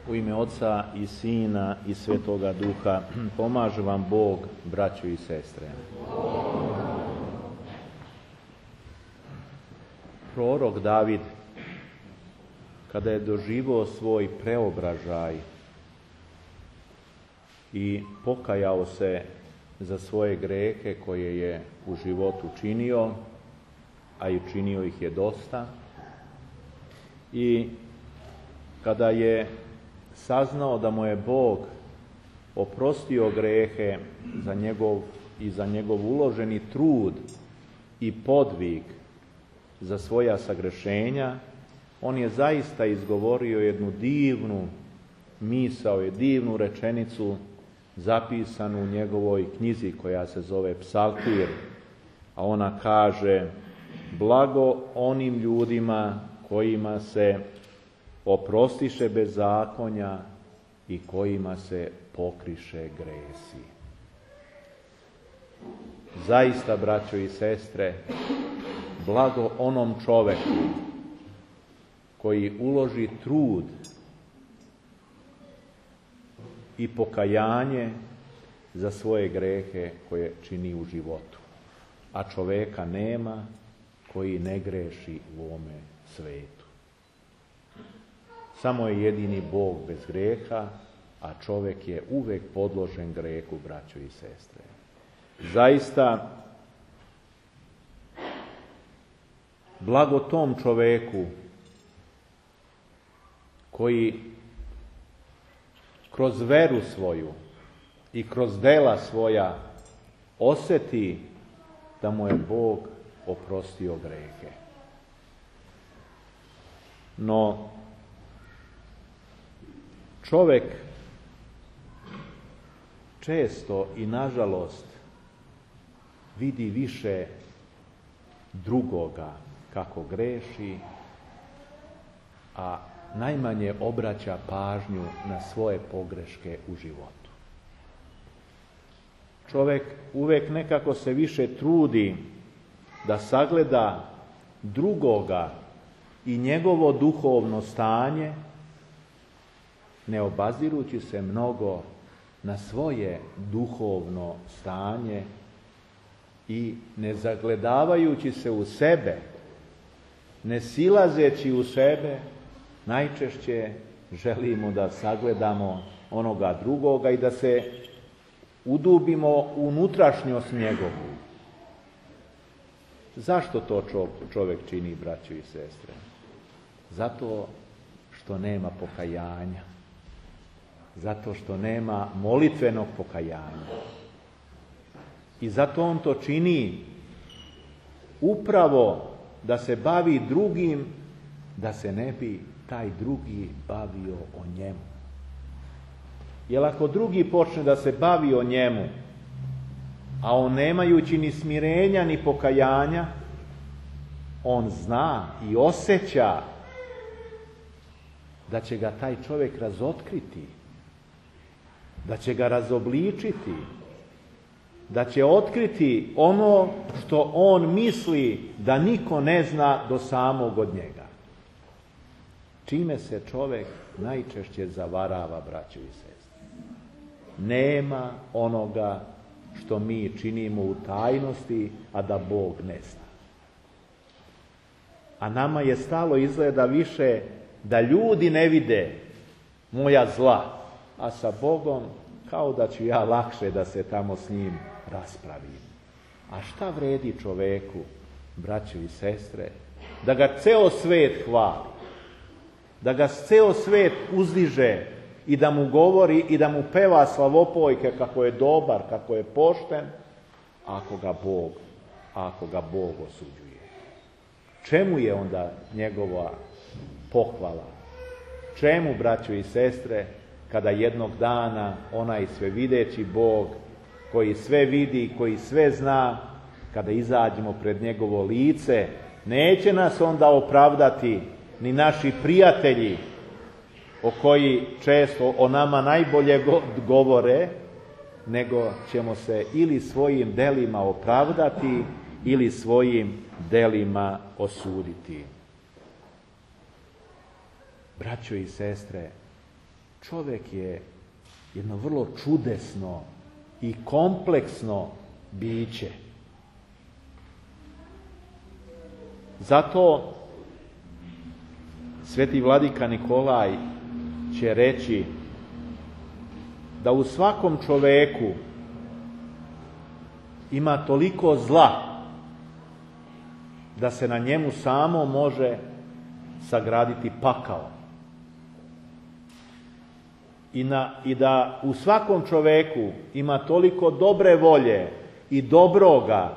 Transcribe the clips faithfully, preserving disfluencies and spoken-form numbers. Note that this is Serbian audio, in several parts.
U ime Oca i Sina i Svetoga Duha, pomaže vam Bog, braćo i sestre. Prorok David, kada je doživio svoj preobražaj i pokajao se za svoje grehe koje je u životu činio, a i činio ih je dosta, i kada je saznao da mu je Bog oprostio grehe za njegov i za njegov uloženi trud i podvig za svoja sagrešenja, on je zaista izgovorio jednu divnu misao, je divnu rečenicu zapisanu u njegovoj knjizi koja se zove Psaltir, a ona kaže: blago onim ljudima kojima se oprostiše bezakonja i kojima se pokriše gresi. Zaista, braćo i sestre, blago onom čoveku koji uloži trud i pokajanje za svoje grehe koje čini u životu. A čoveka nema koji ne greši u ovome svetu. Samo je jedini Bog bez greha, a čovek je uvek podložen grehu, braćo i sestre. Zaista, blago tom čoveku koji kroz veru svoju i kroz dela svoja oseti da mu je Bog oprostio grehe. No, čovek često i nažalost vidi više drugoga kako greši, a najmanje obraća pažnju na svoje pogreške u životu. Čovek uvek nekako se više trudi da sagleda drugoga i njegovo duhovno stanje, ne obazirući se mnogo na svoje duhovno stanje i ne zagledavajući se u sebe, ne silazeći u sebe, najčešće želimo da sagledamo onoga drugoga i da se udubimo u unutrašnjost njegovu. Zašto to čovjek čini, braćo i sestre? Zato što nema pokajanja. Zato što nema molitvenog pokajanja. I zato on to čini upravo da se bavi drugim, da se ne bi taj drugi bavio o njemu. Jer ako drugi počne da se bavi o njemu, a on nemajući ni smirenja ni pokajanja, on zna i osjeća da će ga taj čovjek razotkriti, da će ga razobličiti, da će otkriti ono što on misli da niko ne zna do samog od njega. Čime se čovjek najčešće zavarava, braćo i sestre? Nema onoga što mi činimo u tajnosti, a da Bog ne zna. A nama je stalo izgleda više da ljudi ne vide moja zla, a sa Bogom kao da ću ja lakše da se tamo s njim raspravim. A šta vredi čoveku, braćo i sestre, da ga ceo svet hvali, da ga ceo svet uzdiže i da mu govori i da mu peva slavopojke kako je dobar, kako je pošten, ako ga Bog, ako ga Bog osuđuje? Čemu je onda njegova pohvala? Čemu, braćo i sestre, kada jednog dana onaj svevideći Bog, koji sve vidi, koji sve zna, kada izađemo pred njegovo lice, neće nas onda opravdati ni naši prijatelji, o koji često o nama najbolje govore, nego ćemo se ili svojim delima opravdati ili svojim delima osuditi. Braćo i sestre, čovjek je jedno vrlo čudesno i kompleksno biće. Zato sveti vladika Nikolaj će reći da u svakom čoveku ima toliko zla da se na njemu samo može sagraditi pakao. I, na, I da u svakom čoveku ima toliko dobre volje i dobroga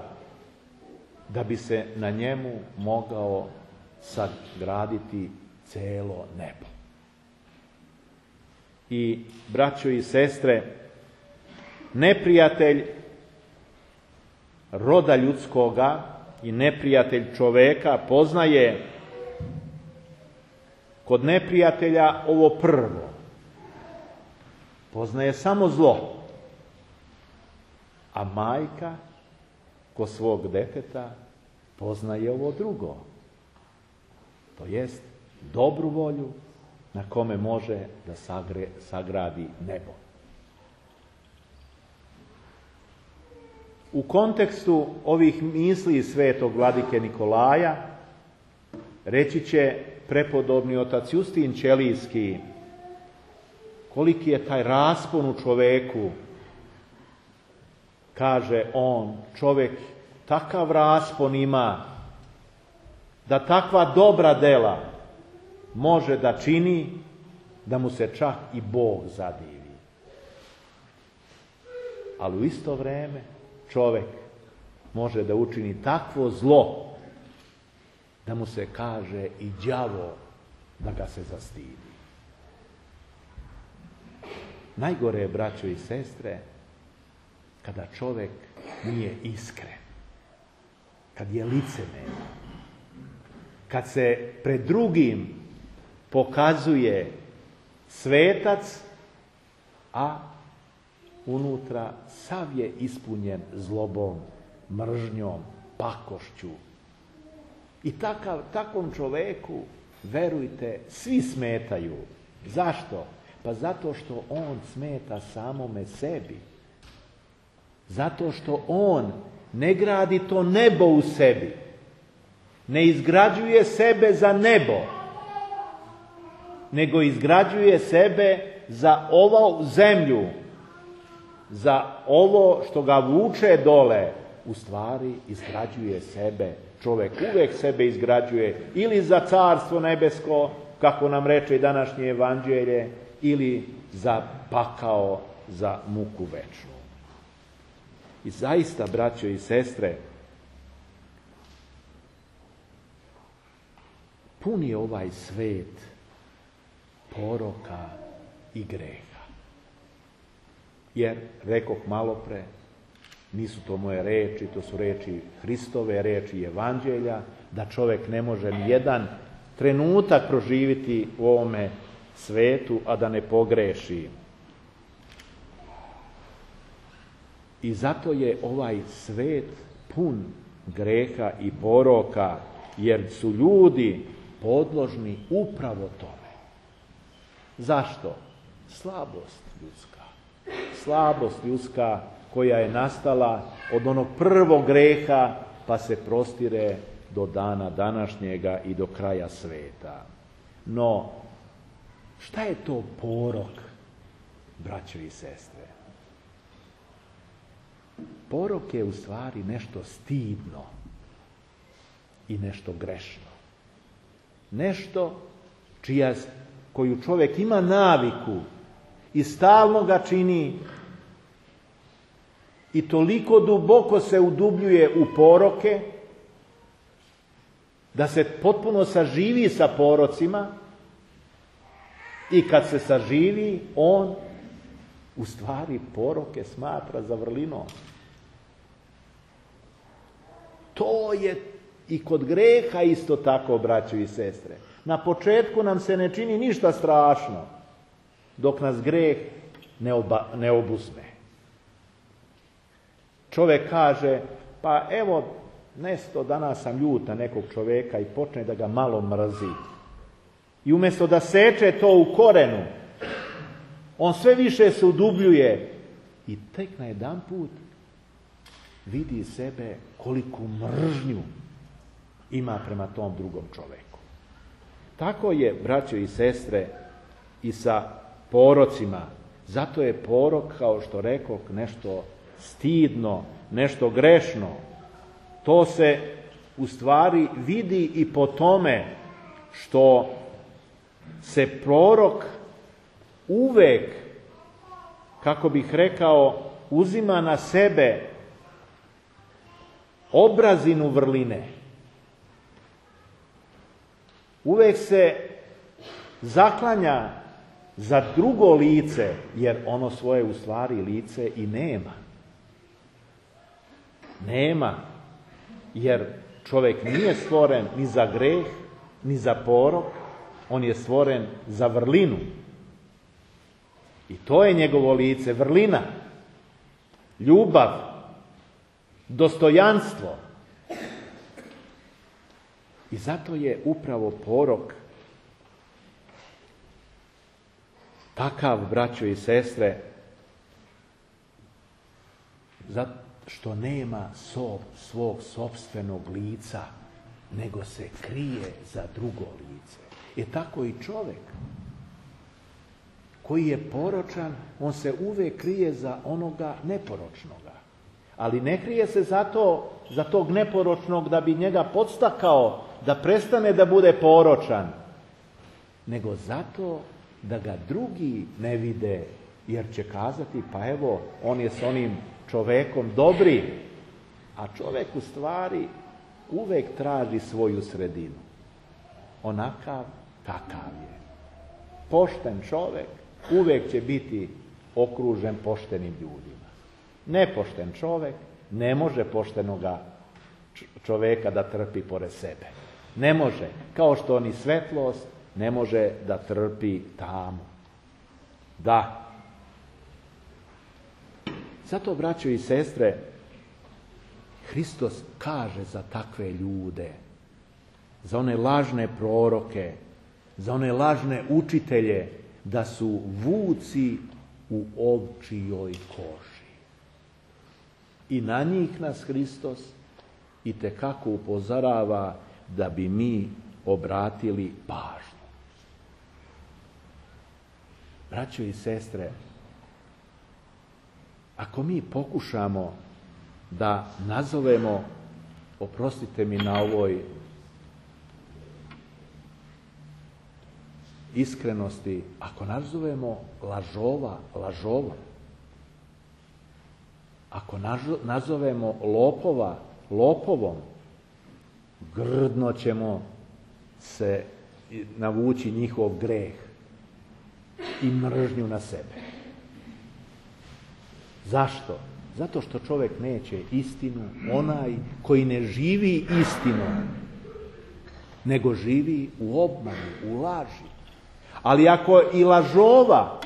da bi se na njemu mogao sagraditi celo nebo. I, braćo i sestre, neprijatelj roda ljudskoga i neprijatelj čoveka poznaje kod neprijatelja ovo prvo. Poznaje samo zlo. A majka kod svog deteta poznaje ovo drugo. To jest dobru volju na kome može da sagre, sagradi nebo. U kontekstu ovih misli svetog vladike Nikolaja reći će prepodobni otac Justin Ćelijski koliki je taj raspon u čoveku. Kaže on, čovjek takav raspon ima da takva dobra dela može da čini da mu se čak i Bog zadivi. Ali u isto vrijeme čovjek može da učini takvo zlo da mu se kaže i đavo da ga se zastidi. Najgore je, braćo i sestre, kada čovjek nije iskren, kad je licemeran, kad se pred drugim pokazuje svetac, a unutra sav je ispunjen zlobom, mržnjom, pakošću. I takav, takvom čoveku, verujte, svi smetaju. Zašto? Pa zato što on smeta samome sebi. Zato što on ne gradi to nebo u sebi. Ne izgrađuje sebe za nebo, nego izgrađuje sebe za ovu zemlju, za ovo što ga vuče dole. U stvari izgrađuje sebe. Čovjek uvijek sebe izgrađuje ili za carstvo nebesko, kako nam reče i današnje evanđelje, ili za pakao, za muku večnu. I zaista, braćo i sestre, pun je ovaj svet poroka i greha. Jer, rekoh malopre, nisu to moje reči, to su reči Hristove, reči evanđelja, da čovjek ne može ni jedan trenutak proživiti u ovome svetu, a da ne pogreši. I zato je ovaj svet pun greha i poroka, jer su ljudi podložni upravo tome. Zašto? Slabost ljudska. Slabost ljudska koja je nastala od onog prvog greha, pa se prostire do dana današnjega i do kraja sveta. No, šta je to porok, braćo i sestre? Porok je u stvari nešto stidno i nešto grešno. Nešto čija, koju čovjek ima naviku i stalno ga čini i toliko duboko se udubljuje u poroke da se potpuno saživi sa porocima i kad se saživi, on u stvari poroke smatra zavrlinom. To je i kod greha isto tako, braćo i sestre. Na početku nam se ne čini ništa strašno, dok nas greh ne, oba, ne obuzme. Čovjek kaže, pa evo, nesto danas sam ljut na nekog čovjeka i počne da ga malo mrzi. I umjesto da seče to u korenu On sve više se udubljuje i tek na jedan put vidi sebe koliku mržnju ima prema tom drugom čoveku. Tako je, braćo i sestre, i sa porocima. Zato je porok, kao što rekoh, nešto stidno, nešto grešno. To se u stvari vidi i po tome što se prorok uvek, kako bih rekao, uzima na sebe obrazinu vrline. Uvek se zaklanja za drugo lice, jer ono svoje u stvari lice i nema. Nema, jer čovjek nije stvoren ni za greh, ni za porok, on je stvoren za vrlinu. I to je njegovo lice, vrlina, ljubav, dostojanstvo. I zato je upravo porok takav, braćo i sestre, zato što nema sov, svog sopstvenog lica, nego se krije za drugo lice. E tako i čovjek koji je poročan, on se uvijek krije za onoga neporočnoga. Ali ne krije se zato, za tog neporočnog da bi njega podstakao da prestane da bude poročan, nego zato da ga drugi ne vide, jer će kazati, pa evo, on je s onim čovekom dobri, a čovjek u stvari uvek traži svoju sredinu. Onakav, kakav je. Pošten čovjek uvek će biti okružen poštenim ljudima. Nepošten čovjek ne može poštenoga čovjeka da trpi pored sebe. Ne može, kao što ni svetlost ne može da trpi tamu. Da. Zato, braćo i sestre, Hristos kaže za takve ljude, za one lažne proroke, za one lažne učitelje, da su vuci u ovčijoj koži. I na njih nas Hristos itekako upozorava da bi mi obratili pažnju. Braćo i sestre, ako mi pokušamo da nazovemo, oprostite mi na ovoj iskrenosti, ako nazovemo lažova lažovom, ako nazovemo lopova lopovom, grdno ćemo se navući njihov greh i mržnju na sebe. Zašto? Zato što čovjek neće istinu, onaj koji ne živi istinom, nego živi u obmanu, u laži. Ali ako i lažova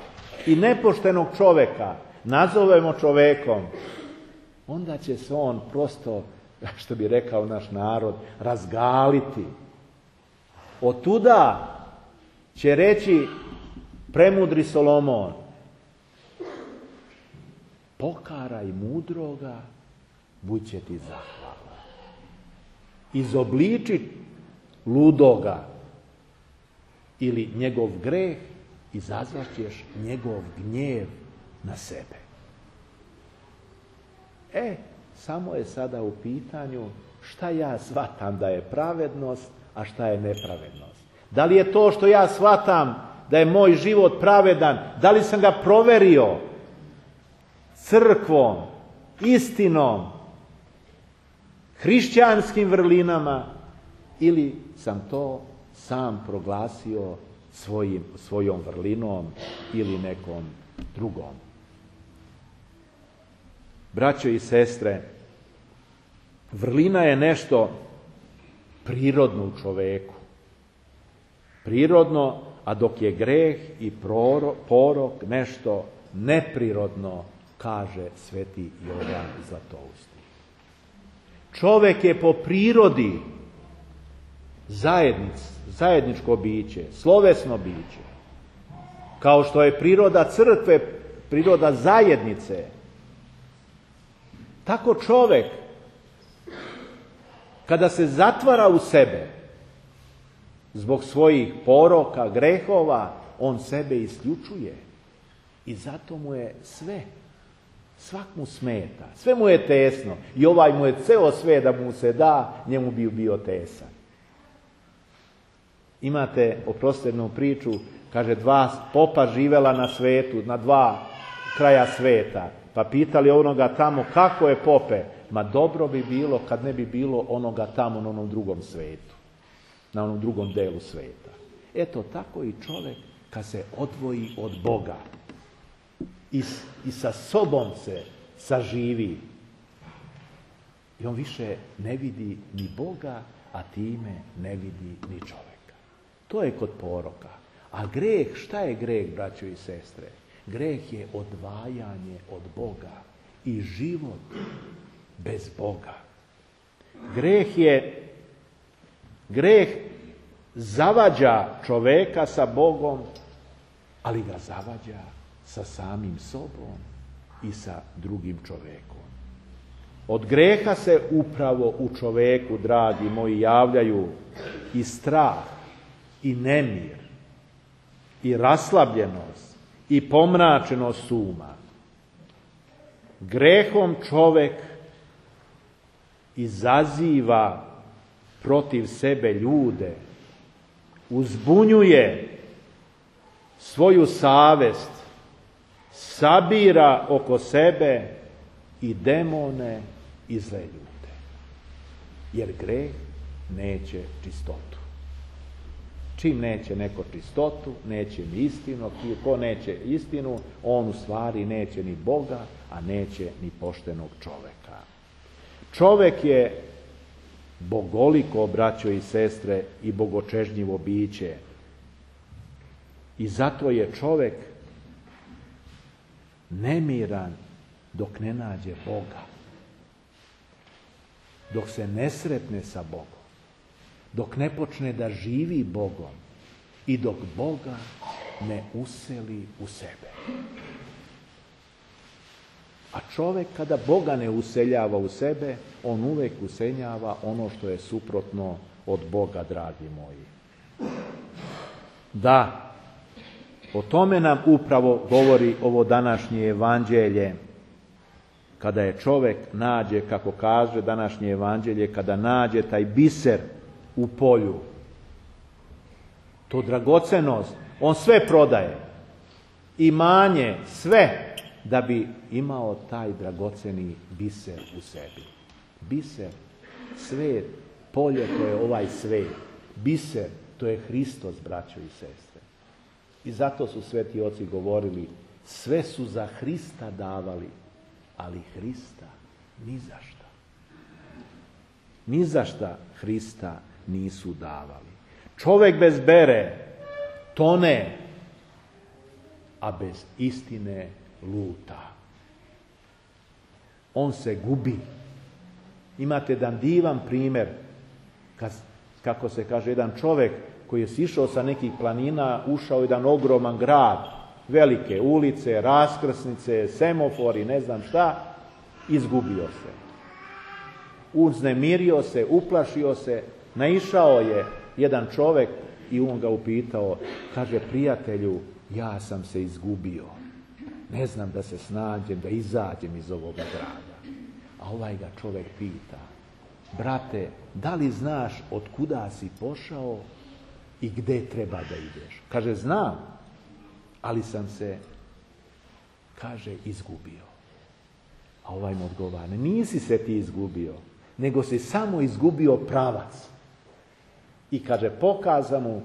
i nepoštenog čovjeka nazovemo čovekom, onda će se on prosto, što bi rekao naš narod, razgaliti. Otuda će reći premudri Solomon, pokaraj mudroga, bud će ti zahvala. Izobliči ludoga ili njegov greh, izazvaćeš njegov gnjev na sebe. E, samo je sada u pitanju šta ja shvatam da je pravednost, a šta je nepravednost. Da li je to što ja shvatam da je moj život pravedan, da li sam ga proverio crkvom, istinom, hrišćanskim vrlinama, ili sam to sam proglasio svojim, svojom vrlinom ili nekom drugom. Braćo i sestre, vrlina je nešto prirodno u čoveku. Prirodno, a dok je greh i porok nešto neprirodno, kaže sveti Jovan Zlatousti. Čovjek je po prirodi zajednic, zajedničko biće, slovesno biće. kao što je priroda crkve, priroda zajednice, tako čovjek, kada se zatvara u sebe, zbog svojih poroka, grehova, on sebe isključuje. I zato mu je sve, svak mu smeta, sve mu je tesno. I ovaj mu je ceo sve da mu se da, njemu bi bio tesan. Imate oprostenu priču, kaže, dva popa živela na svetu, na dva kraja sveta. Pa pitali onoga tamo, kako je pope? Ma dobro bi bilo kad ne bi bilo onoga tamo na onom drugom svetu. Na onom drugom delu sveta. Eto, tako i čovjek kad se odvoji od Boga i, i sa sobom se saživi. I on više ne vidi ni Boga, a time ne vidi ni čovjeka. To je kod poroka. A greh, šta je greh, braćo i sestre? Greh je odvajanje od Boga i život bez Boga. Greh je, greh zavađa čoveka sa Bogom, ali ga zavađa sa samim sobom i sa drugim čovekom. Od greha se upravo u čoveku, dragi moji, javljaju i strah, i nemir, i raslabljenost, i pomračenost uma. Grehom čovek izaziva protiv sebe ljude, uzbunjuje svoju savest, sabira oko sebe i demone i zle ljude. Jer greh neće čistotu. Čim neće neko čistotu, neće ni istinu. Ko neće istinu, on u stvari neće ni Boga, a neće ni poštenog čoveka. Čovek je bogoliko, braćo i sestre, i bogočežnjivo biće. I zato je čovek nemiran dok ne nađe Boga. Dok se ne sretne sa Bogom. Dok ne počne da živi Bogom i dok Boga ne useli u sebe. A čovjek kada Boga ne useljava u sebe, on uvijek useljava ono što je suprotno od Boga, dragi moji. Da, o tome nam upravo govori ovo današnje evanđelje, kada je čovjek nađe, kako kaže današnje evanđelje, kada nađe taj biser u polju, to dragocenost, on sve prodaje, imanje, sve, da bi imao taj dragoceni biser u sebi. Biser, svet, polje, to je ovaj svet. Biser, to je Hristos, braćo i sestre. I zato su sveti oci govorili, sve su za Hrista davali, ali Hrista ni za šta. Ni za šta Hrista nisu davali. Čovjek bez bere tone, a bez istine luta. On se gubi. Imate jedan divan primjer, kako se kaže, jedan čovjek koji je sišao sa nekih planina, ušao u jedan ogroman grad, velike ulice, raskrsnice, semofori, ne znam šta, izgubio se. Uznemirio se, uplašio se, naišao je jedan čovjek i on ga upitao, kaže, prijatelju, ja sam se izgubio. Ne znam da se snađem, da izađem iz ovoga grada. A ovaj ga čovjek pita, brate, da li znaš od kuda si pošao i gdje treba da ideš? Kaže, znam, ali sam se, kaže, izgubio. A ovaj mu odgovara, nisi se ti izgubio, nego si samo izgubio pravac. I kaže, pokaza mu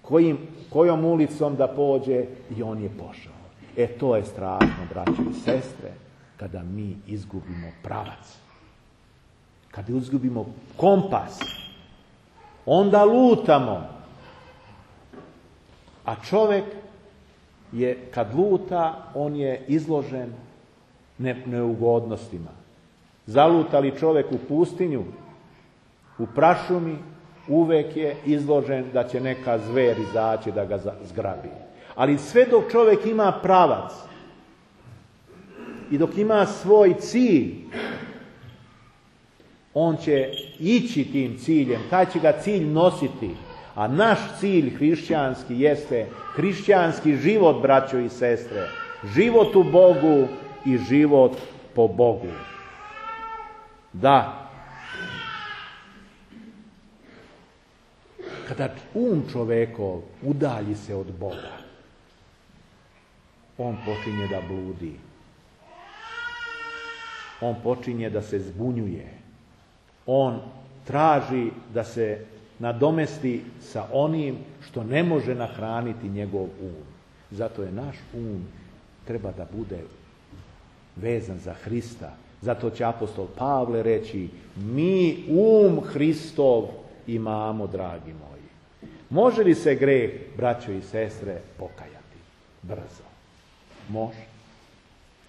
kojim, kojom ulicom da pođe i on je pošao. E to je strašno, braćo i sestre, kada mi izgubimo pravac. Kada izgubimo kompas, onda lutamo. A čovjek je, kad luta, on je izložen ne, neugodnostima. Zalutali čovjek u pustinju, u prašumi, uvek je izložen da će neka zver izaći da ga zgrabi. Ali sve dok čovjek ima pravac i dok ima svoj cilj, on će ići tim ciljem, taj će ga cilj nositi. A naš cilj hrišćanski jeste hrišćanski život, braćo i sestre. Život u Bogu i život po Bogu. Da. Kada um čovekov udalji se od Boga, on počinje da bludi. On počinje da se zbunjuje. On traži da se nadomesti sa onim što ne može nahraniti njegov um. Zato je naš um treba da bude vezan za Hrista. Zato će apostol Pavle reći, mi um Hristov imamo, dragi moji. Može li se greh, braćo i sestre, pokajati brzo? Može.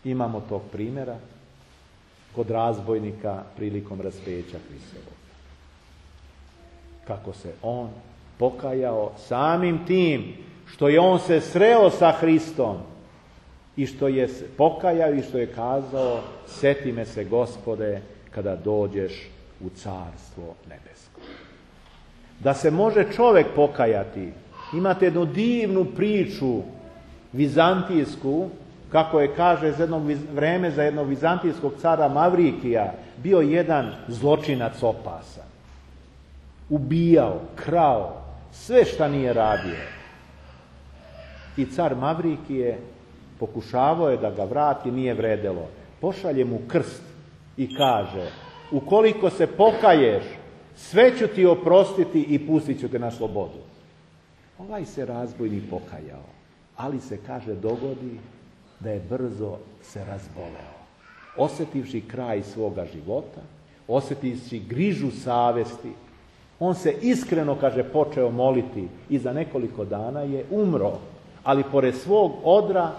Imamo tog primjera kod razbojnika prilikom raspeća Hristovog. Kako se on pokajao samim tim što je on se sreo sa Hristom i što je se pokajao i što je kazao, seti me se, Gospode, kada dođeš u carstvo nebesko. Da se može čovjek pokajati, imate jednu divnu priču vizantijsku, kako je kaže za jedno vreme za jednog vizantijskog cara Mavrikija, bio jedan zločinac opasan. Ubijao, krao, sve šta nije radio. I car Mavrikije pokušavao je da ga vrati, nije vredelo. Pošalje mu krst i kaže, ukoliko se pokaješ, sve ću ti oprostiti i pustit ću te na slobodu. Ovaj se razbojnik pokajao, ali se, kaže, dogodi da je brzo se razboleo. Osjetivši kraj svoga života, osjetivši grižu savesti, on se iskreno, kaže, počeo moliti i za nekoliko dana je umro. Ali pored svog odra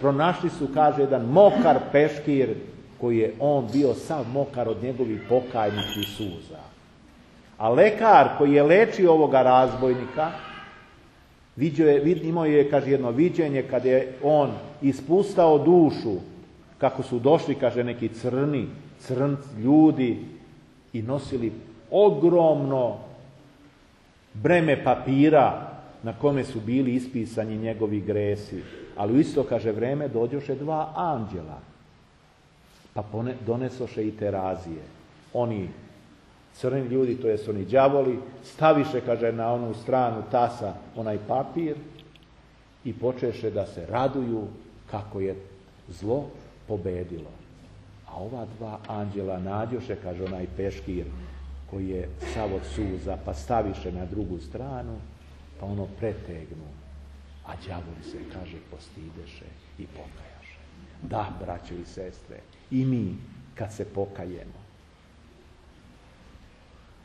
pronašli su, kaže, jedan mokar peškir koji je on bio sav mokar od njegovih pokajničkih suza. A lekar koji je lečio ovoga razbojnika, vidio je, imao je, kaže, jedno viđenje kad je on ispustao dušu, kako su došli, kaže, neki crni, crnci ljudi i nosili ogromno breme papira na kome su bili ispisani njegovi gresi. Ali u isto, kaže, vreme dođoše dva anđela, pa donesoše i terazije. Oni crni ljudi, to jest oni đavoli, staviše, kaže, na onu stranu tasa onaj papir i počeše da se raduju kako je zlo pobedilo. A ova dva anđela nađoše, kaže, onaj peškir koji je sav od suza, pa staviše na drugu stranu, pa ono pretegnu. A đavoli se, kaže, postideše i pokajaše. Da, braćo i sestre, i mi kad se pokajemo,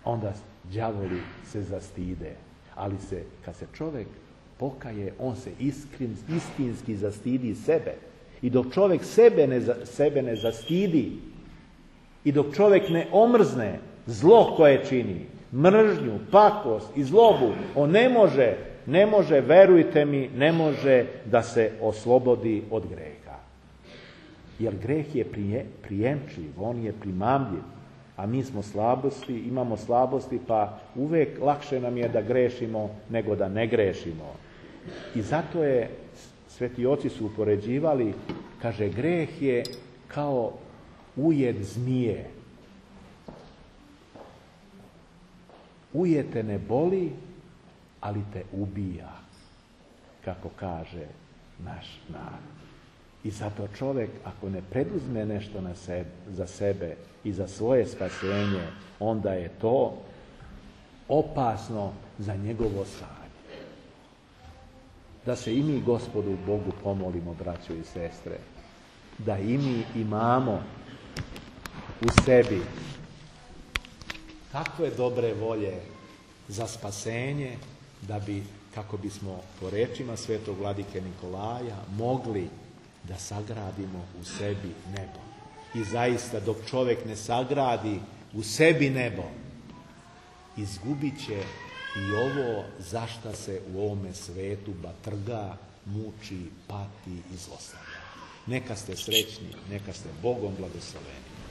onda đavoli se zastide. Ali se, kad se čovjek pokaje, on se iskren, istinski zastidi sebe. I dok čovjek sebe ne, sebe ne zastidi i dok čovjek ne omrzne zlo koje čini, mržnju, pakost i zlobu, on ne može, ne može, verujte mi, ne može da se oslobodi od greha. Jer greh je prije, prijemčiv, on je primamljiv, a mi smo slabosti, imamo slabosti, pa uvijek lakše nam je da grešimo nego da ne grešimo. I zato je, sveti oci su upoređivali, kaže, greh je kao ujed zmije. Ujed te ne boli, ali te ubija, kako kaže naš narod. I zato čovjek, ako ne preduzme nešto na sebe, za sebe i za svoje spasenje, onda je to opasno za njegovo stanje. Da se i mi Gospodu Bogu pomolimo, braćo i sestre, da i mi imamo u sebi takve dobre volje za spasenje, da bi, kako bismo po rečima svetog vladike Nikolaja, mogli da sagradimo u sebi nebo. I zaista, dok čovjek ne sagradi u sebi nebo, izgubit će i ovo za šta se u ovome svetu batrga muči, pati i zlostavlja. Neka ste srećni, neka ste Bogom blagosloveni.